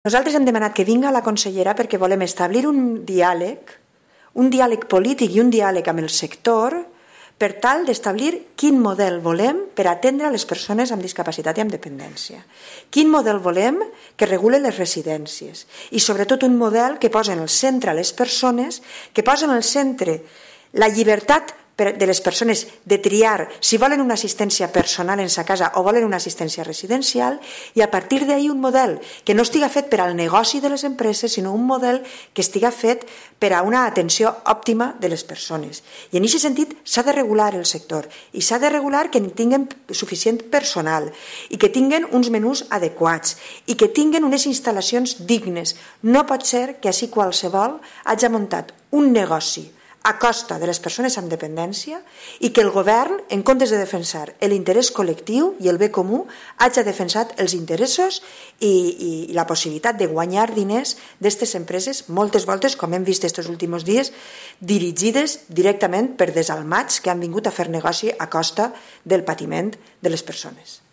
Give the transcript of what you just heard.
Nosaltres hem demanat que vinga la consellera perquè volem establir un diàleg polític i un diàleg amb el sector per tal d'establir quin model volem per atendre les persones amb discapacitat i amb dependència. Quin model volem que regule les residències i sobretot un model que posa en el centre les persones, que posa en el centre la llibertat de les persones de triar si volen una assistència personal en sa casa o volen una assistència residencial i a partir d'ahir un model que no estiga fet per al negoci de les empreses sinó un model que estiga fet per a una atenció òptima de les persones. I en aquest sentit s'ha de regular el sector i s'ha de regular que tinguen suficient personal i que tinguen uns menús adequats i que tinguen unes instal·lacions dignes. No pot ser que així qualsevol hagi muntat un negoci a costa de les persones amb dependència i que el govern, en comptes de defensar l'interès col·lectiu i el bé comú, hagi defensat els interessos i la possibilitat de guanyar diners d'aquestes empreses, moltes voltes, com hem vist aquests últims dies, dirigides directament per desalmats que han vingut a fer negoci a costa del patiment de les persones.